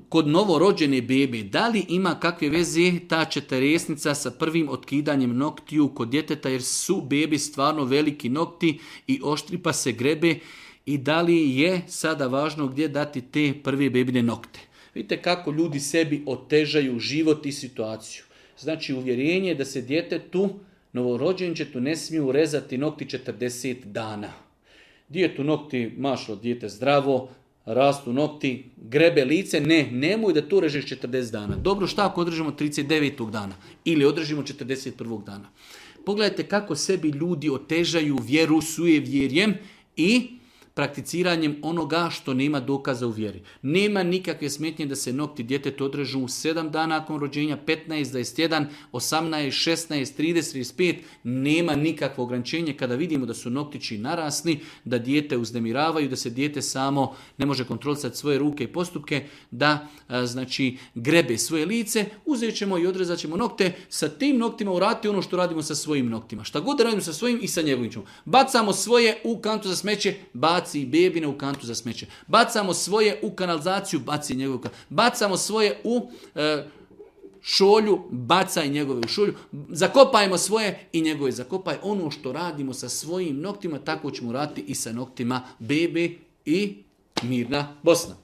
Kod novorođene bebe, da li ima kakve veze ta četiresnica sa prvim otkidanjem noktiju kod djeteta, jer su bebi stvarno veliki nokti i oštri pa se grebe, i da li je sada važno gdje dati te prve bebine nokte? Vidite kako ljudi sebi otežaju život i situaciju. Znači uvjerenje je da se djetetu, novorođenčetu, ne smiju rezati nokti 40 dana. Djetu nokti, mašlo, dijete zdravo, rastu nokti, grebe lice, nemoj da to režeš 40 dana. Dobro, šta ako održimo 39. dana ili održimo 41. dana? Pogledajte kako sebi ljudi otežaju vjeru sujevjerjem i prakticiranjem onoga što nema dokaza u vjeri. Nema nikakve smetnje da se nokti djetetu odrežu 7 dana nakon rođenja, 15, 21, 18, 16, 30, 35. Nema nikakvo ograničenje kada vidimo da su noktići narasli, da dijete uznemiravaju, da se dijete samo ne može kontrolisati svoje ruke i postupke, da znači grebe svoje lice, uzet ćemo i odrezat ćemo nokte, sa tim noktima urati ono što radimo sa svojim noktima. Šta god radimo sa svojim i sa njegovim ćemo. Bacamo svoje u kantu za smeće, baci i bebine u kantu za smeće. Bacamo svoje u kanalizaciju, baci njegov kantu. Bacamo svoje u šolju, bacaj njegove u šolju. Zakopajmo svoje i njegove zakopaj. Ono što radimo sa svojim noktima, tako ćemo raditi i sa noktima bebe i mirna Bosna.